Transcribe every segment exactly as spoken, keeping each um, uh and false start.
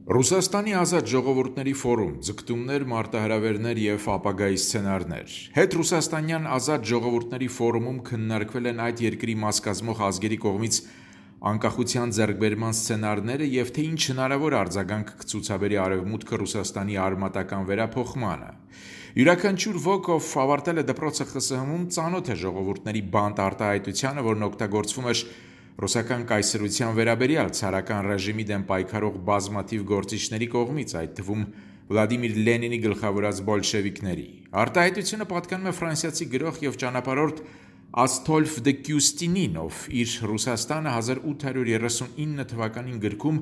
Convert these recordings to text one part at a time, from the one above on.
Ռուսաստանի ազատ ժողովուրդների ֆորում, ձգտումներ, մարտահրավերներ և ապագայի սցենարներ։ Հետ-ռուսաստանյան ազատ ժողովուրդների ֆորումում քննարկվել են այդ երկրի մաս կազմող ազգերի կողմից անկախության ձեռքբերման սցենարները և թե ինչ հնարավոր արձագանք կցուցաբերի Արևմուտքը Ռուսաստանի արմատական վերափոխմանը։ Յուրաքանչյուր ոք, ով ավարտել է դպրոցը Խ Ս Հ-ում, ծանոթ է ժողովուրդների բանտ արտահայտությանը, որն օգտագործվում էր ռուսական կայսրության վերաբերյալ ցարական ռեժիմի դեմ պայքարող բազմաթիվ գործիչների կողմից, այդ թվում Վլադիմիր Լենինի գլխավորած բոլշևիկների։ Արտահայտությունը պատկանում է ֆրանսիացի գրող և ճանապարհորդ Աստոլֆ դը Կյուստինին, ով իր «Ռուսաստանը հազար ութ հարյուր երեսունինը» թվականին գրքում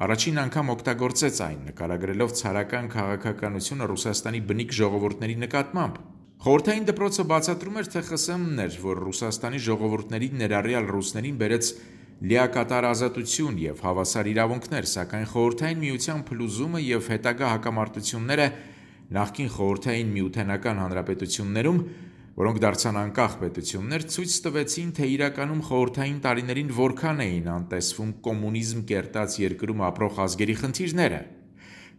առաջին անգամ օգտագործեց այն, նկարագրելով ցարական քաղաքականությունը Ռուսաստանի բնիկ ժողովուրդների նկատմամբ։ Խորհրդային դպրոցը բացատրում էր, թե Խ Ս Հ-ն էր, որ Ռուսաստանի ժողովուրդներին, ներառյալ ռուսներին, բերեց լիակատար ազատություն և հավասար իրավունքներ, սակայն Խորհրդային Միության փլուզումը և հետագա հակամարտությունները նախկին Խորհրդային Միութենական հանրապետություններում, որոնք դարձան անկախ պետություններ, ցույց տվեցին, թե իրականում խորհրդային տարիներին որքան էին անտեսվում կոմունիզմ կերտած երկրում ապրող ազգերի խնդիրները։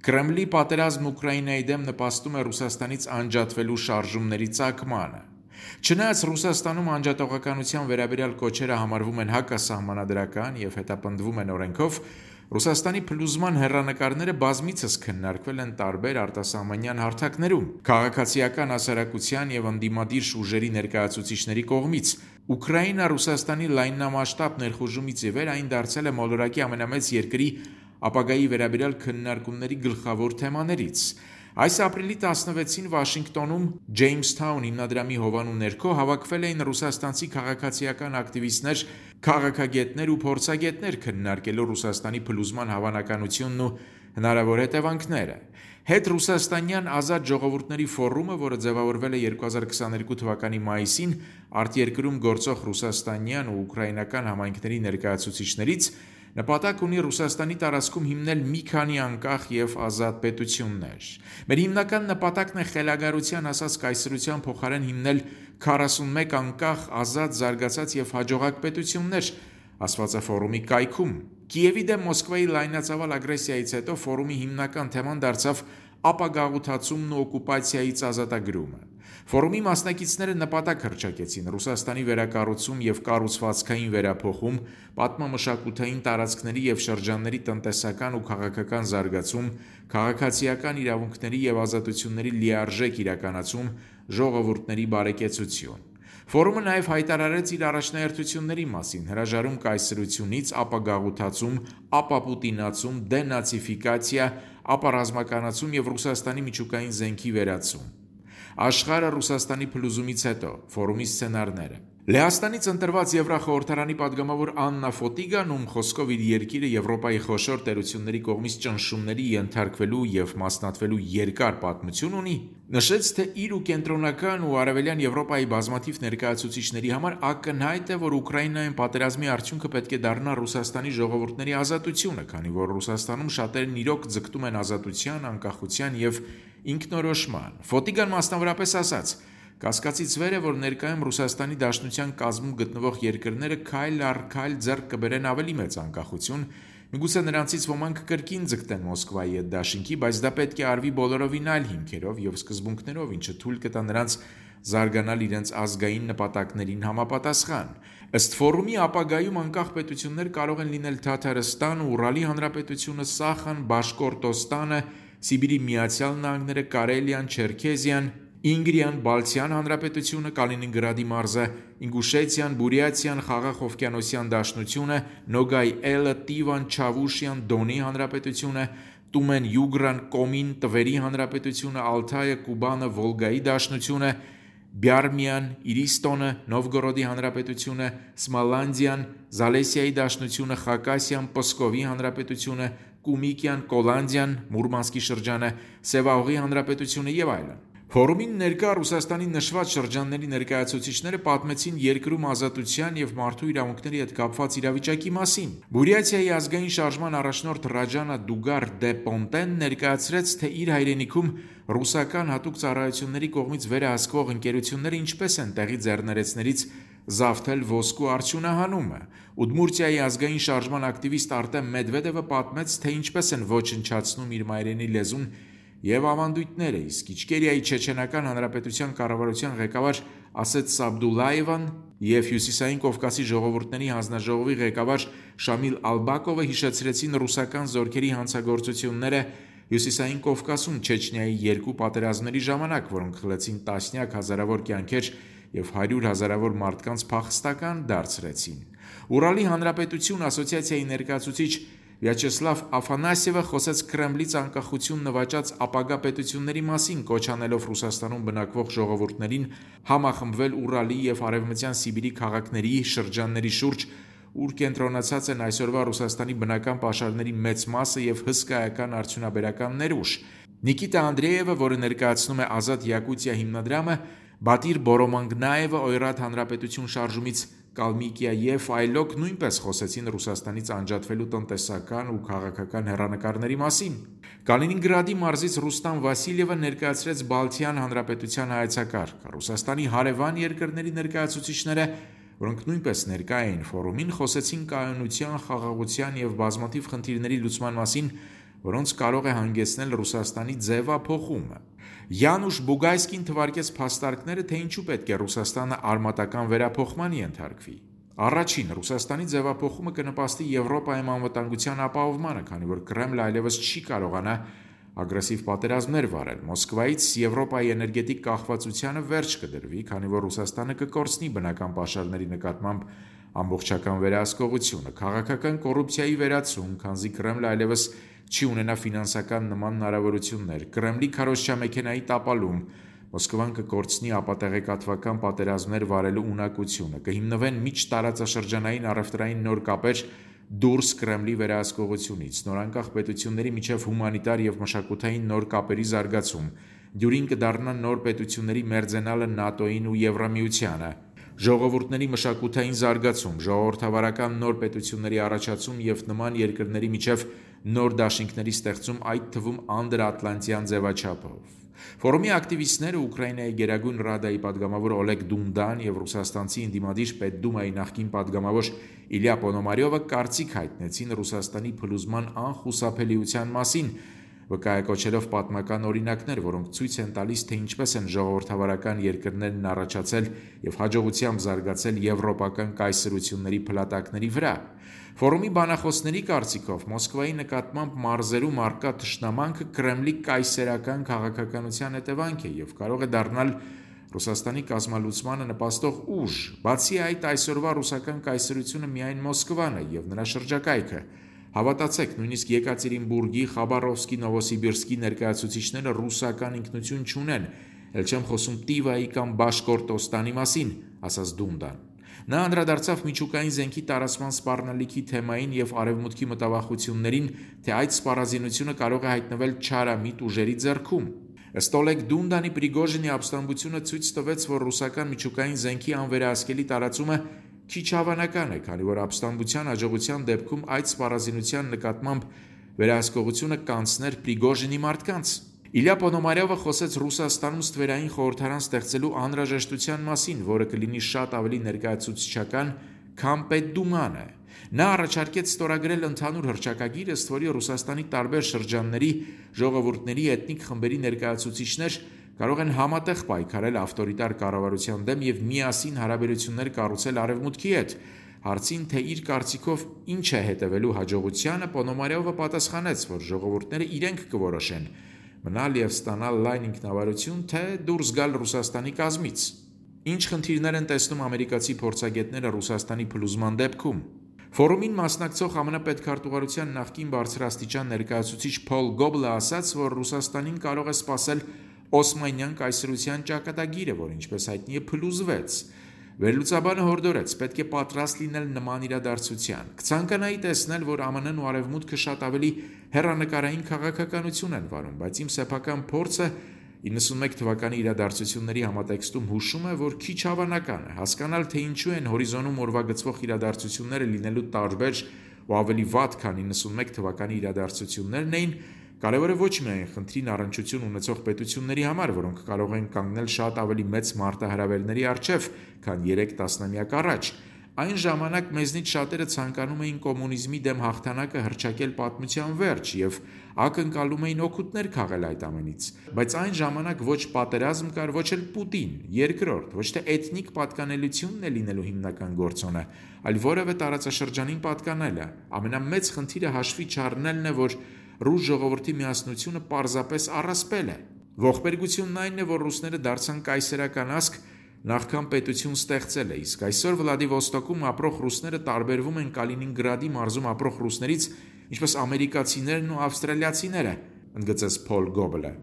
Կրեմլի պատերազմն Ուկրաինայի դեմ նպաստում է Ռուսաստանից անջատվելու շարժումների ծագմանը։ Չնայած Ռուսաստանում անջատողականության վերաբերյալ կոչերը համարվում են հակասահմանադրական և հետապնդվում են օրենքով, Ռուսաստանի փլուզման հեռանկարները բազմիցս քննարկվել են տարբեր արտասահմանյան հարթակներում, քաղաքացիական հասարակության և ընդդիմադիր ուժերի ներկայացուցիչների կողմից։ Ուկրաինա Ռուսաստանի լայնամասշտաբ ներխուժումից ի վեր այն դարձել է մոլորակի ամենամեծ երկրի ապագայի վերաբերյալ քննարկումների գլխավոր թեմաներից։ Այս ապրիլի տասնվեցին Վաշինգտոնում Ջեյմսթաուն հիմնադրամի հովանու ներքո հավաքվել էին ռուսաստանցի քաղաքացիական ակտիվիստներ, քաղաքագետներ ու փորձագետներ քննարկելու Ռուսաստանի փլուզման հավանականությունն ու հնարավոր հետևանքները։ Հետ-ռուսաստանյան ազատ ժողովուրդների ֆորումը, որը ձևավորվել է երկու հազար քսաներկու թվականի մայիսին արտերկրում գործող ռուսաստանյան ու ուկրաինական համայնքների ներկայացուցիչներից, նպատակ ունի Ռուսաստանի տարածքում հիմնել մի քանի անկախ և ազատ պետություններ։ Մեր հիմնական նպատակն է խելագարության ասած կայսրության փոխարեն հիմնել քառասունմեկ անկախ, ազատ, զարգացած և հաջողակ պետություններ, ասված է ֆորումի կայքում։ Կիևի դեմ Մոսկվայի լայնածավալ ագրեսիայից հետո ֆորումի հիմնական թեման դարձավ ապագաղութացումն ու օկուպացիայից ազատագրումը։ Ֆորումի մասնակիցները նպատակ հռչակեցին Ռուսաստանի վերակառուցում և կառուցվածքային վերափոխում, պատմամշակութային տարածքների և շրջանների տնտեսական ու քաղաքական զարգացում, քաղաքացիական իրավունքների և ազատությունների լիարժեք իրականացում, ժողովուրդների բարեկեցություն։ Ֆորումը նաև հայտարարեց իր առաջնահերթությունների մասին, հրաժարում կայսրությունից, ապագաղութացում, ապապուտինացում, դենացիֆիկացիա, ապառազմականացում և Ռուսաստանի միջուկային զենքի վերացում։ Աշխարհը Ռուսաստանի փլուզումից հետո։ Ֆորումի սցենարները։ Լեհաստանից ընտրված Եվրախորհրդարանի պատգամավոր Աննա Ֆոտիգան, ում խոսքով իր երկիրը Եվրոպայի խոշոր տերությունների կողմից ճնշումների ենթարկվելու և մասնատվելու երկար պատմություն ունի, նշեց, թե իր ու կենտրոնական ու արևելյան Եվրոպայի բազմաթիվ ներկայացուցիչների համար ակնհայտ է, որ Ուկրաինայում պատերազմի արդյունքը պետք է դառնա Ռուսաստանի ժողովուրդների ազատությունը, քանի որ Ռուսաստանում շատերն իրոք ձգտում են ազատության, անկախության և ինքնորոշման։ Ֆոտիգան մասնավորապես ասաց. «Կասկածից վեր է, որ ներկայում Ռուսաստանի Դաշնության կազմում գտնվող երկրները քայլ առ քայլ ձեռք կբերեն ավելի մեծ անկախություն, միգուցե նրանցից ոմանք կրկին ձգտեն Մոսկվայի հետ դաշինքի, բայց դա պետք է արվի բոլորովին այլ հիմքերով և սկզբունքներով, ինչը թույլ կտա նրանց զարգանալ իրենց ազգային նպատակներին համապատասխան։ Ըստ ֆորումի, ապագայում անկախ պետություններ կարող են լինել Թաթարստանը, Ուրալի հանրապետությունը, Սախան, Բաշկորտոստանը, Սիբիրի Միացյալ Նահանգները, Կարելիան, Չերքեզիան, Ինգրիան, Բալթյան հանրապետությունը, Կալինինգրադի մարզը, Ինգուշեցիան, Բուրյատիան, Խաղաղօվկիանոսյան Դաշնությունը, Նոգայ Էլը, Տիվան, Չավուշիան, Դոնի հանրապետությունը, Տումեն Յուգրան, Կոմին, Տվերի հանրապետությունը, Ալթայը, Կուբանը, Վոլգայի Դաշնությունը, Բյարմիան, Իրիստոնը, Նովգորոդի հանրապետությունը, Սմալանդիան, Զալեսիայի Դաշնությունը, Խակասիան, Պսկովի հանրապետությունը, Կումիկիան, Կոլանդիան, Մուրմանսկի շրջանը, Սևաուղի հանրապետությունը և այլն։ Ֆորումին ներկա Ռուսաստանի նշված շրջանների ներկայացուցիչները պատմեցին երկրում ազատության և մարդու իրավունքների հետ կապված իրավիճակի մասին։ Բուրյատիայի ազգային շարժման առաջնորդ Ռաջանա Դուգար դե Պոնտեն ներկայացրեց, թե իր հայրենիքում ռուսական հատուկ ծառայությունների կողմից վերահսկվող ընկերությունները ինչպես են տեղի ձեռներեցներից զավթել ոսկու արդյունահանումը։ Ուդմուրտիայի ազգային շարժման ակտիվիստ Արտեմ Մեդվեդևը պատմեց, թե ինչպես են ոչնչացնում իր մայրենի լեզուն և ավանդույթները, իսկ Իչկերիայի Չեչենական Հանրապետության կառավարության ղեկավար Ասետ Սաբդուլլաևան և Հյուսիսային Կովկասի ժողովուրդների հանձնաժողովի ղեկավար Շամիլ Ալբակովը հիշեցրեցին ռուսական զորքերի հանցագործությունները Հյուսիսային Կովկասում Չեչնիայի երկու պատերազմների ժամանակ, որոնք խլեցին տասնյակ հազարավոր կյանքեր և հարյուր հազարավոր մարդկանց փախստական դարձրեցին։ Ուրալի Հանրապետություն ասոցիացիայի ներկայացուցիչ Վյաչեսլավ Աֆանասьևը խոսեց Կրեմլից անկախություն նվաճած ապագա պետությունների մասին, կոչ անելով Ռուսաստանում բնակվող ժողովուրդներին համախմբվել Ուրալի և Արևմտյան Սիբիրի քաղաքների շրջանների շուրջ, ուր կենտրոնացած են այսօրվա Ռուսաստանի բնական պաշարների մեծ մասը և հսկայական արդյունաբերական ներուժ։ Նիկիտա Անդրեևը, որը ներկայացնում է Ազատ Յակուտիա հիմնադրամը, Բատիր Բորոմանգնաևը Օյրաթ Հանրապետություն շարժումից Կալմիկիա և այլոք նույնպես խոսեցին Ռուսաստանից անջատվելու տնտեսական ու քաղաքական հեռանկարների մասին։ Կալինինգրադի մարզից Ռուստամ Վասիլյևը ներկայացրեց Բալթյան Հանրապետության հայեցակարգը։ Ռուսաստանի հարևան երկրների ներկայացուցիչները, որոնք նույնպես ներկա էին ֆորումին, խոսեցին կայունության, խաղաղության և բազմաթիվ խնդիրների լուծման մասին, որոնց կարող է հանգեցնել Ռուսաստանի ձևափոխումը։ Յանուշ Բուգայսկին թվարկեց փաստարկները, թե ինչու պետք է Ռուսաստանը արմատական վերափոխման ենթարկվի։ Առաջին, Ռուսաստանի ձևափոխումը կնպաստի Եվրոպայում անվտանգության ապահովմանը, քանի որ Կրեմլը այլևս չի կարողանա ագրեսիվ պատերազմներ վարել։ Մոսկվայից Եվրոպայի էներգետիկ կախվածությանը վերջ կդրվի, քանի որ Ռուսաստանը կկորցնի բնական պաշարների նկատմամբ ամբողջական վերահսկողությունը, քաղաքական կոռուպցիայի վերացում, քանզի Կրեմլը այլևս չի ունենա ֆինանսական նման հնարավորություններ, Կրեմլի քարոզչամեքենայի տապալում, Մոսկվան կկորցնի ապատեղեկատվական պատերազմներ վարելու ունակությունը, կհիմնվեն միջտարածաշրջանային առևտրային նոր կապեր դուրս Կրեմլի վերահսկողությունից, նորանկախ պետությունների միջև հումանիտար և մշակութային նոր կապերի զարգացում, դյուրին կդառնա նոր պետությունների մերձենալը ՆԱՏՕ-ին ու Եվրամիությանը, ժողովուրդների մշակութային զարգացում, ժողովրդավարական նոր պետությունների առաջացում և նման երկրների միջև նոր դաշինքների ստեղծում, այդ թվում անդրաատլանտյան ձևաչափով։ Ֆորումի ակտիվիստները Ուկրաինայի Գերագույն Ռադայի падգամավոր Օլեգ Դունդան և ռուսաստանցի ընդդիմադիր Պետդումայի նախկին падգամավոր Իլյա Պոնոմարյովը կարծիք հայտնեցին Ռուսաստանի փլուզման անխուսափելիության մասին, վկայակոչելով պատմական օրինակներ, որոնք ցույց են տալիս, թե ինչպես են ժողովրդավարական երկրներն առաջացել և հաջողությամբ զարգացել եվրոպական կայսրությունների փլատակների վրա։ Ֆորումի բանախոսների կարծիքով Մոսկվայի նկատմամբ մարզերում առկա թշնամանքը Կրեմլի կայսերական քաղաքականության հետևանք է և կարող է դառնալ Ռուսաստանի կազմալուծմանը նպաստող ուժ։ Բացի այդ, այսօրվա ռուսական կայսրությունը միայն Մոսկվան է և նրա շրջակայքը։ Հավատացեք, նույնիսկ Եկատերինբուրգի, Խաբարովսկի, Նովոսիբիրսկի ներկայացուցիչները ռուսական ինքնություն չունեն, էլ չեմ խոսում Տիվայի կամ Բաշկորտոստանի մասին, ասաց Դունդան։ Նա անդրադարձավ միջուկային զենքի տարածման սպառնալիքի թեմային և արևմուտքի մտավախություններին, թե այդ սպառազինությունը կարող է հայտնվել չարամիտ ուժերի ձեռքում։ Ըստ Օլեգ Դունդանի, Պրիգոժինի ապստամբությունը ցույց տվեց, որ ռուսական միջուկային զենքի անվերահսկելի տարածումը քիչ հավանական է, քանի որ ապստամբության հաջողության դեպքում այդ սպառազինության նկատմամբ վերահսկողությունը կանցներ Պրիգոժինի մարդկանց։ Իլյա Պոնոմարյովը խոսեց Ռուսաստանում ստվերային խորհրդարան ստեղծելու անհրաժեշտության մասին, որը կլինի շատ ավելի ներկայացուցչական, քան Պետդումանը։ Նա առաջարկեց ստորագրել ընդհանուր հռչակագիր, ըստ որի Ռուսաստանի տարբեր շրջանների ժողովուրդների էթնիկ խմբերի ներկայացուցիչներ կարող են համատեղ պայքարել ավտորիտար կառավարության դեմ և միասին հարաբերություններ կառուցել Արևմուտքի հետ։ Հարցին, թե իր կարծիքով ինչ է հետևելու հաջողությանը, Պոնոմարյովը պատասխանեց, որ ժողովուրդները իրենք կորոշեն մնալ և ստանալ լայն ինքնավարություն, թե դուրս գալ Ռուսաստանի կազմից։ Ինչ խնդիրներ են տեսնում ամերիկացի փորձագետները Ռուսաստանի փլուզման դեպքում։ Ֆորումին մասնակցող ԱՄՆ պետքարտուղարության նախկին բարձրաստիճան ներկայացուցիչ Փոլ Գոբլը ասաց, որ Ռուսաստանին կարող է սպասել Օսմանյան կայսրության ճակատագիրը, որ ինչպես հայտնի է փլուզվեց։ Վերլուծաբանը հորդորեց, պետք է պատրաստ լինել նման իրադարձության։ Կցանկանայի տեսնել, որ ԱՄՆ-ն ու Արևմուտքը շատ ավելի հեռանկարային քաղաքականություն են վարում, բայց իմ սեփական փորձը իննսունմեկ թվականի իրադարձությունների համատեքստում հուշում է, որ քիչ հավանական է հասկանալ, թե ինչու են հորիզոնում օրվա գծվող իրադարձությունները լինելու տարբեր ու ավելի վատ, քան իննսունմեկ թվականի իրադարձություններն էին, Կարևոր է ոչ միայն խնդրին առնչություն ունեցող պետությունների համար, որոնք կարող են կանգնել շատ ավելի մեծ մարտահրավերների առջև, քան երեք տասնամյակ առաջ։ Այն ժամանակ մեզնից շատերը ցանկանում էին կոմունիզմի դեմ հաղթանակը հռչակել պատմության վերջ և ակնկալում էին օգուտներ քաղել այդ ամենից։ Բայց այն ժամանակ ոչ պատերազմ կար, ոչ էլ Պուտին, երկրորդ, ոչ թե էթնիկ պատկանելությունն է լինելու հիմնական գործոնը, այլ որևէ տարածաշրջանին պատկանելը։ Ամենամեծ խնդիրը հաշվի չառնելն է, որ ռուս ժողովրդի միասնությունը պարզապես առասպել է։ Ողբերգությունն այն է, որ ռուսները դարձան կայսերական ազգ, նախքան պետություն ստեղծելը, իսկ այսօր Վլադիվոստոկում ապրող ռուսները տարբերվում են Կալինինգրադի մարզում ապրող ռուսներից, ինչպես ամերիկացիներն ու ավստրալիացիները, ընդգծեց Փոլ Գոբլը։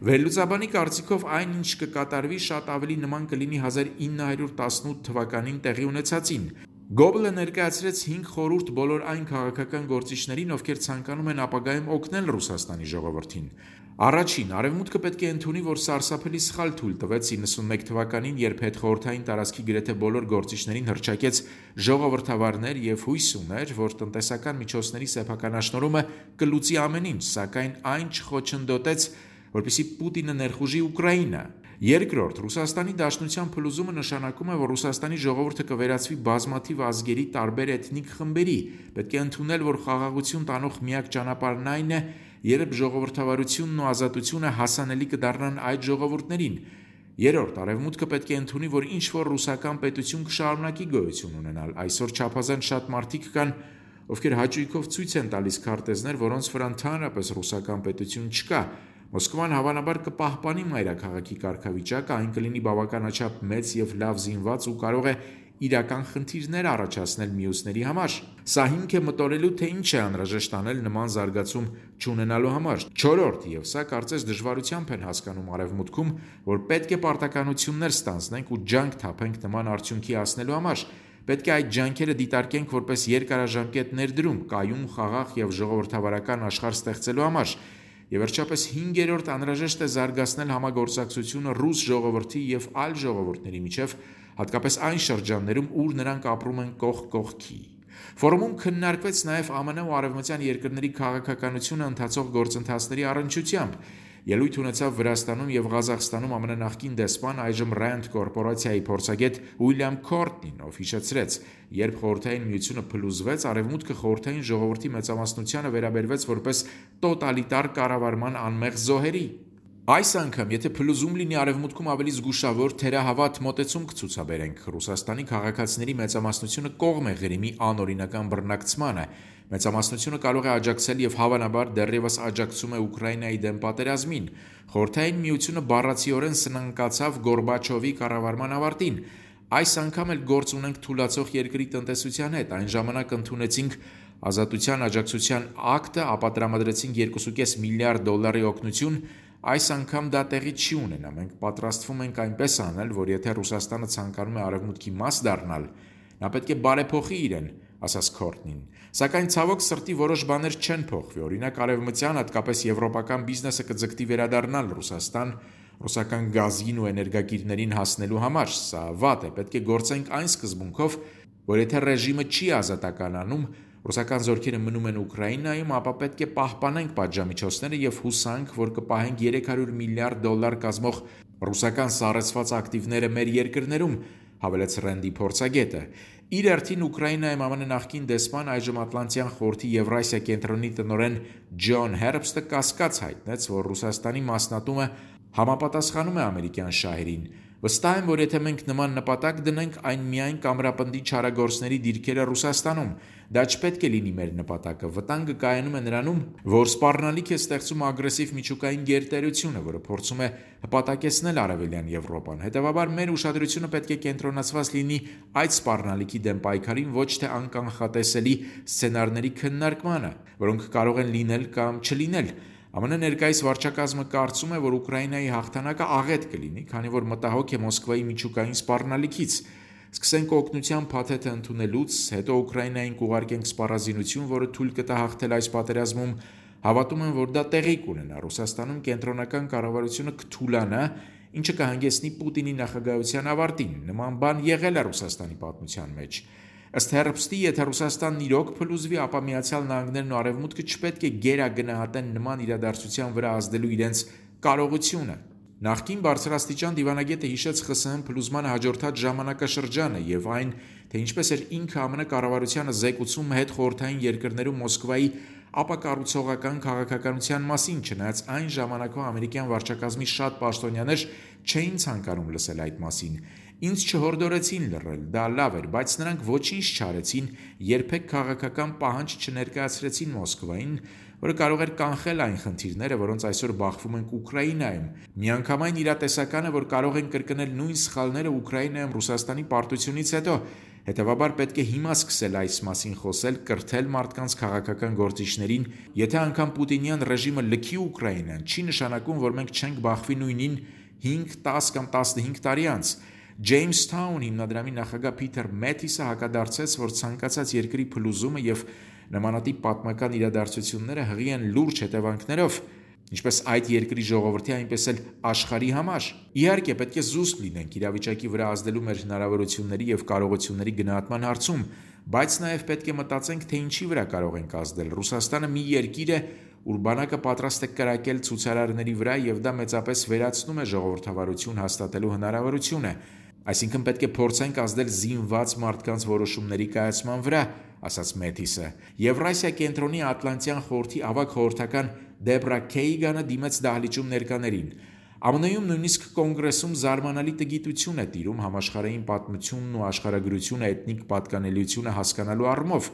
Վերլուծաբանի կարծիքով այն, ինչ կկատարվի, շատ ավելի նման կլինի հազար ինը հարյուր տասնութ թվականին տեղի ունեցածին։ Գոբլը ներկայացրեց հինգ խորհուրդ բոլոր այն քաղաքական գործիչներին, ովքեր ցանկանում են ապագայում օգնել Ռուսաստանի ժողովրդին։ Առաջին, Արևմուտքը պետք է ընդունի, որ սարսափելի սխալ թույլ տվեց իննսունմեկ թվականին, երբ հետխորհրդային տարածքի գրեթե բոլոր գործիչներին հռչակեց ժողովրդավարներ և հույս ուներ, որ տնտեսական միջոցների սեփականաշնորհումը կլուծի ամեն ինչ, սակայն այն չխոչընդոտեց, որպեսզի Պուտինը ներխուժի Ուկրաինա։ Երկրորդ, Ռուսաստանի Դաշնության փլուզումը նշանակում է, որ Ռուսաստանի ժողովուրդը կվերածվի բազմաթիվ ազգերի տարբեր էթնիկ խմբերի։ Պետք է ընդունել, որ խաղաղություն տանող միակ ճանապարհն այն է, երբ ժողովրդավարությունն ու ազատությունը հասանելի կդառնան այդ ժողովուրդներին։ Երրորդ, Արևմուտքը պետք է ընդունի, որ ինչ-որ ռուսական պետություն կշարունակի գոյություն ունենալ։ Այսօր չափազանց շատ մարդիկ կան, ովքեր հաճույքով ցույց են տալիս քարտեզներ, որոնց վրա ընդհանրապես ռուսական պետություն չկա։ Մոսկվան հավանաբար կպահպանի մայրաքաղաքի կարգավիճակը, այն կլինի բավականաչափ մեծ և լավ զինված ու կարող է իրական խնդիրներ առաջացնել մյուսների համար։ Սա հիմք է մտորելու, թե ինչ է անհրաժեշտ անել նման զարգացում չունենալու համար։ Չորրորդ, և սա կարծես դժվարությամբ են հասկանում Արևմուտքում, որ պետք է պարտականություններ ստանձնենք ու ջանք թափենք նման արդյունքի հասնելու համար։ Պետք է այդ ջանքերը դիտարկենք որպես երկարաժամկետ ներդրում, կայուն, խաղաղ և ժողովրդավարական աշխարհ ստեղծելու համար։ Եվ վերջապես հինգերորդ, անհրաժեշտ է զարգացնել համագործակցությունը ռուս ժողովրդի և այլ ժողովուրդների միջև, հատկապես այն շրջաններում, ուր նրանք ապրում են կողք կողքի։ Ֆորումում քննարկվեց նաև ԱՄՆ ու արևմտյան երկրների քաղաքականությունը ընթացող գործընթացների առնչությամբ։ Ելույթ ունեցավ Վրաստանում և Ղազախստանում ԱՄՆ նախկին դեսպան, այժմ Rand կորպորացիայի փորձագետ Ուիլյամ Քորտնին, ով հիշեցրեց, երբ Խորհրդային Միությունը փլուզվեց, Արևմուտքը խորհրդային ժողովրդի մեծամասնությանը վերաբերվեց որպես տոտալիտար կառավարման անմեղ զոհերի։ Այս անգամ, եթե փլուզում լինի, Արևմուտքում ավելի զգուշավոր, թերահավատ մոտեցում կցուցաբերենք։ Ռուսաստանի քաղաքացիների մեծամասնությունը կողմ է Ղրիմի անօրինական բռնակցմանը։ Մեծամասնությունը կարող է աջակցել և հավանաբար դեռևս աջակցում է Ուկրաինայի դեմ պատերազմին։ Խորհրդային Միությունը բառացիորեն սնանկացավ Գորբաչովի կառավարման ավարտին։ Այս անգամ էլ գործ ունենք թուլացող երկրի տնտեսության հետ։ Այն ժամանակ ընդունեցինք Ազատության աջակցության ակտը, ապա տրամադրեցինք երկու կես միլիարդ դոլարի օգնություն։ Այս անգամ դա տեղի չի ունենա։ Մենք պատրաստվում ենք այնպես անել, որ եթե Ռուսաստանը ցանկանում է Արևմուտքի մաս դառնալ, նա պետք է բարեփոխի իրեն, ասաց Քորտնին։ Սակայն ցավոք սրտի որոշ բաներ չեն փոխվի։ Օրինակ, արևմտյան, հատկապես եվրոպական բիզնեսը կձգտի վերադառնալ Ռուսաստան ռուսական գազին ու էներգակիրներին հասնելու համար։ Սա վատ է։ Պետք է գործենք այն սկզբունքով, որ եթե ռեժիմը չի ազատականանում, ռուսական զորքերը մնում են Ուկրաինայում, ապա պետք է պահպանենք պատժամիջոցները և հուսանք, որ կպահենք երեք հարյուր միլիարդ դոլար կազմող ռուսական սառեցված ակտիվները մեր երկրներում, հավելեց Ռենդի փորձագետը։ Իր հերթին Ուկրաինայում ԱՄՆ նախկին դեսպան, այժմ Ատլանտյան խորհրդի Եվրասիա կենտրոնի տնօրեն Ջոն Հերբստը կասկած հայտնեց, որ Ռուսաստանի մասնատումը համապատասխանում է ամերիկյան շահերին։ Վստահ եմ, որ եթե մենք նման նպատակ դնենք, այն միայն կամրապնդի չարագործների դիրքերը Ռուսաստանում։ Դա չպետք է լինի մեր նպատակը։ Վտանգը կայանում է նրանում, որ սպառնալիք է ստեղծում ագրեսիվ միջուկային գերտերությունը, որը փորձում է հպատակեցնել Արևելյան Եվրոպան։ Հետևաբար մեր ուշադրությունը պետք է կենտրոնացված լինի այդ սպառնալիքի դեմ պայքարին, ոչ թե անկանխատեսելի սցենարների քննարկմանը, որոնք կարող են լինել կամ չլինել։ ԱՄՆ ներկայիս վարչակազմը կարծում է, որ Ուկրաինայի հաղթանակը աղետ կլինի, քանի որ մտահոգ է Մոսկվայի միջուկային սպառնալիքից։ Սկսենք օգնության փաթեթը ընդունելուց, հետո Ուկրաինային կուղարկենք սպառազինություն, որը թույլ կտա հաղթել այս պատերազմում։ Հավատում եմ, որ դա տեղի կունենա։ Ռուսաստանում կենտրոնական կառավարությունը կթուլանա, ինչը կհանգեցնի Պուտինի նախագահության ավարտին։ Նման բան եղել է Ռուսաստանի պատմության մեջ։ Ըստ Herbstի, եթե Ռուսաստանն իրոք փլուզվի, ապա Միացյալ Նահանգներն ու Արևմուտքը չպետք է գերագնահատեն նման իրադարձության վրա ազդելու իրենց կարողությունը։ Նախկին բարձրաստիճան դիվանագետը հիշեց ԽՍՀՄ փլուզմանը հաջորդած ժամանակաշրջանը եւ այն, թե ինչպես էր ինքը ԱՄՆ կառավարությանը զեկուցում հետխորհրդային երկրներում Մոսկվայի ապակառուցողական քաղաքականության մասին, չնայած այն ժամանակվա ամերիկյան վարչակազմի շատ պաշտոնյաներ չէին ցանկանում լսել այդ մասին։ Ինձ չհորդորեցին լռել, դա լավ էր, բայց նրանք ոչինչ չարեցին, երբեք քաղաքական պահանջ չներկայացրեցին Մոսկվային, որը կարող էր կանխել այն խնդիրները, որոնց այսօր բախվում ենք Ուկրաինայում։ Միանգամայն իրատեսական է, որ կարող են կրկնել նույն սխալները Ուկրաինայում Ռուսաստանի պարտությունից հետո։ Հետևաբար պետք է հիմա սկսել այս մասին խոսել, կրթել մարդկանց քաղաքական գործիչներին։ Եթե անգամ Պուտինյան ռեժիմը լքի Ուկրաինան, չի նշանակում, որ մենք չենք բախվի նույնին հինգ, տաս կամ տասնհինգ տարի անց։ Jamestown հիմնադրամի նախագահ Փիթեր Մեթիսը հակադարձեց, որ ցանկացած երկրի փլուզումը եւ նմանատիպ պատմական իրադարձությունները հղի են լուրջ հետևանքներով, ինչպես այդ երկրի ժողովրդի, այնպես էլ աշխարհի համար։ Իհարկե, պետք է զուսպ լինենք իրավիճակի վրա ազդելու մեր հնարավորությունների եւ կարողությունների գնահատման հարցում, բայց նաեւ պետք է մտածենք, թե ինչի վրա կարող ենք ազդել։ Ռուսաստանը մի երկիր է, ուր բանակը պատրաստ է կրակել ցուցարարների վրա եւ դա մեծապես վերացնում է ժողովրդավարություն հաստատելու հնարավորությունը։ Այսինքն պետք է փորձենք ազդել զինված մարդկանց որոշումների կայացման վրա, ասաց Մեթիսը։ Եվրասիա կենտրոնի Ատլանտյան խորհրդի ավագ խորհրդական Դեբրա Քեյգանը դիմեց դահլիճում ներկաներին։ ԱՄՆ-ում նույնիսկ կոնգրեսում զարմանալի տգիտություն է տիրում համաշխարհային պատմությունն ու աշխարհագրությունը էթնիկ պատկանելիությունը հասկանալու առումով։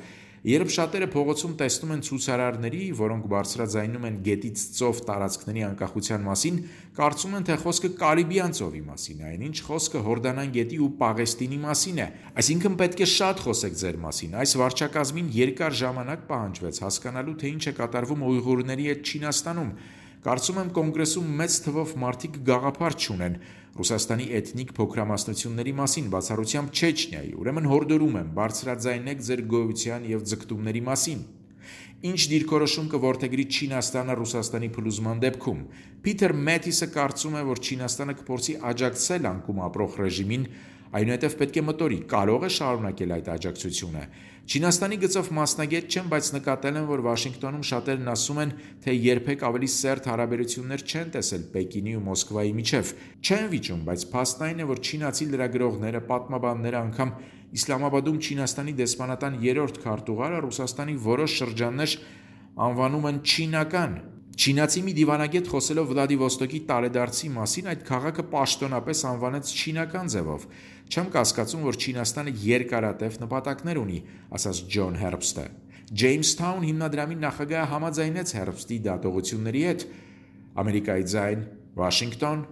Երբ շատերը փողոցում տեսնում են ցուցարարների, որոնք բարձրաձայնում են գետից ծով տարածքների անկախության մասին, կարծում են, թե խոսքը Կարիբյան ծովի մասին է, այնինչ խոսքը Հորդանան գետի ու Պաղեստինի մասին է։ Այսինքն պետք է շատ խոսեք ձեր մասին։ Այս վարչակազմին երկար ժամանակ պահանջվեց հասկանալու, թե ինչ է կատարվում ուйղուրների հետ Չինաստանում։ Կարծում եմ կոնգրեսում մեծ թվով մարդիկ գաղափար չունեն Ռուսաստանի էթնիկ փոքրամասնությունների մասին, բացառությամբ Չեչնիայի, ուրեմն հորդորում եմ բարձրաձայնեք ձեր գոյության եւ ձգտումների մասին։ Ինչ դիրքորոշում կորդեգրի Չինաստանը Ռուսաստանի փլուզման դեպքում։ Փիթեր Մեթիսը կարծում է, որ Չինաստանը կփորձի աջակցել անկում ապրող ռեժիմին, այնուհետև պետք է մտորի, կարող է շարունակել այդ աջակցությունը։ Չինաստանի գծով մասնագետ չեմ, բայց նկատել եմ, որ Վաշինգտոնում շատերն ասում են, թե երբեք ավելի սերտ հարաբերություններ չեն տեսել Պեկինի ու Մոսկվայի միջև։ Չեն վիճում, բայց փաստն այն է, որ չինացի լրագրողները, պատմաբանները, անգամ Իսլամաբադում Չինաստանի դեսպանատան երրորդ քարտուղարը Ռուսաստանի որոշ շրջաններ անվանում են չինական։ Չինացի մի դիվանագետ խոսելով Վլադիվոստոկի տարեդարձի մասին այդ քաղաքը պաշտոնապես անվանեց չինական ձևով։ Չեմ կասկածում, որ Չինաստանը երկարատև նպատակներ ունի, ասաց Ջոն Հերբստը։ Jamestown հիմնադրամի նախագահը համաձայնեց Հերբստի դատողությունների հետ։ Ամերիկայի ձայն, Վաշինգտոն,